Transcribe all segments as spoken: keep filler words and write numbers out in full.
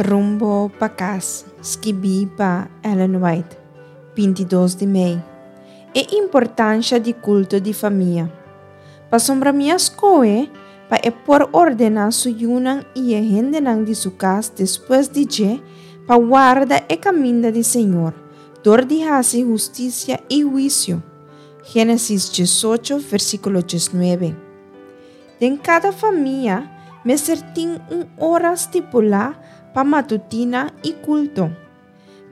Rumbo pa Kas, skibí pa Ellen White, binti dos di mei. E importansha di kulto di famia. Pasobra mi a skohe pa e por ordená su yunan i e hendenan di su kas despues di dje pa warda e kaminda di Señor, dor di hasi hustisia i huisio. Génesis diesocho, versíkulo diesnuebe. Den kada famia mester tin un ora stipulá pa matutina i kulto.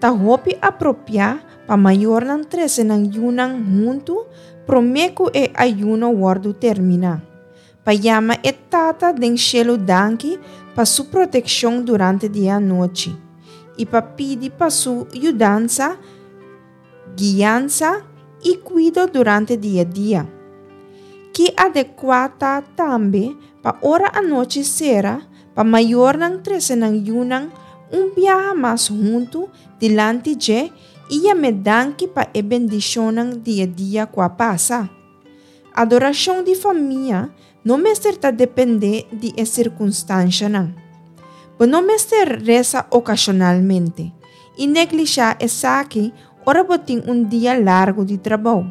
Ta hopi apropiá pa mayornan trese nan yunan huntu promé ku e ayuno wòrdu terminá, pa yama e Tata den shelu danki pa su protekshon durante di e anochi i pa pidi pa su yudansa, guiansa i kuido durante di e dia. Ki adekuá ta tambe pa ora anochi sera pa mayornan trese nan yunan un biaha mas huntu dilanti dje i yam'é danki pa e bendishonnan di e dia ku a pasa. Adorashon di famia no mester ta dependé di e sirkunstanshanan. Bo no mester resa okashonalmente i neglishá esaki ora bo tin un dia largu di trabou.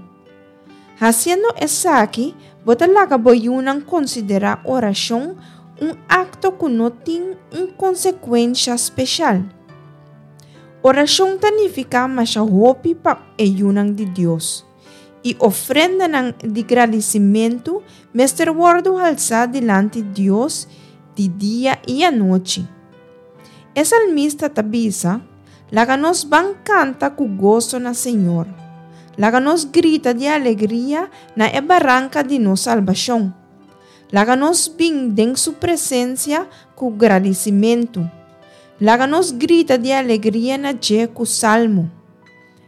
Hasiendo esaki, bo ta laga bo yunan konsiderá orashon un akto ku no tin un konsekuensha speshal. Orashon ta nifiká masha hopi pa e yunan di Dios, i ofrendanan di gradisimentu mester wòrdu halsá dilanti Dios di dia i anochi. E salmista ta bisa, Laga nos ban kanta ku goso na Señor. Laga nos grita di alegria na e baranka di nos salbashon. Laga nos bin den su presensia ku gradisimentu. Laga nos grita di alegria na dje ku salmo.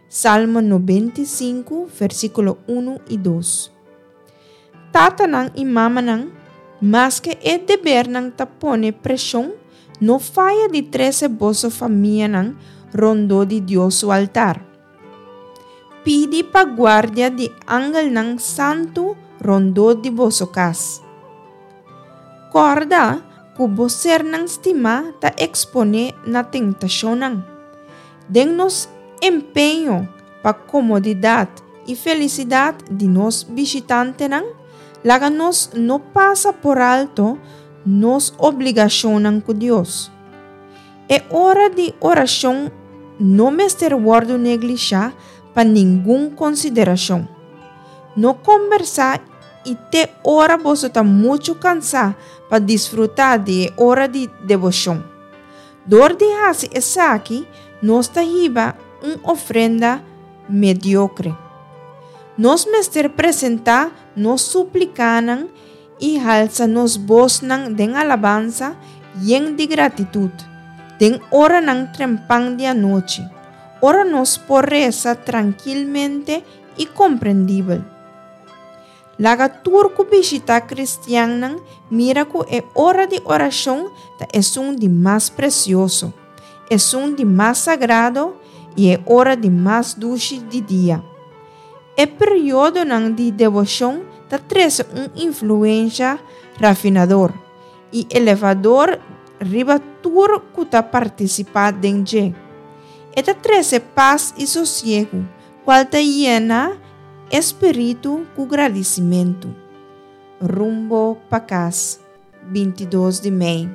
Salmo nobenta i sinku, versíkulo unu i dos. Tatanan i mamanan, maske e debernan ta pone preshon, no faya di trese boso famianan rondó di Dios su altar. Pidi pa guardia di angelnan santu rondó di boso kas. Kòrda ku bo sernan stimá ta eksponé na tentashonnan. Den nos empeño pa komodidat i felisidat di nos bishitantenan, laga nos no pasa por alto nos obligashonnan ku Dios. E ora di orashon no mester wòrdu neglishá pa ningun konsiderashon. No kombersá i te ora boso ta muchu kansá pa disfrutá di e ora di deboshon. Dor di hasi esaki, nos ta hiba un ofrenda mediokre. Nos mester presentá nos suplikanan i halsa nos bosnan den alabansa yen di gratitut, den oranan trempan di anochi, ora nos por resa trankilmente i komprendibel. Laga tur ku bishitá kristiannan mira ku e ora di orashon ta esun di mas presioso, esun di mas sagrado i e ora di mas dushi di dia. E periodonan di deboshon ta trese un influensha rafinador i elevador riba tur ku ta partisipá den dje. E ta trese pas i sosiegu, kual ta yena e spiritu ku gradisimentu. Rumbo pa kas, bintidos di mei.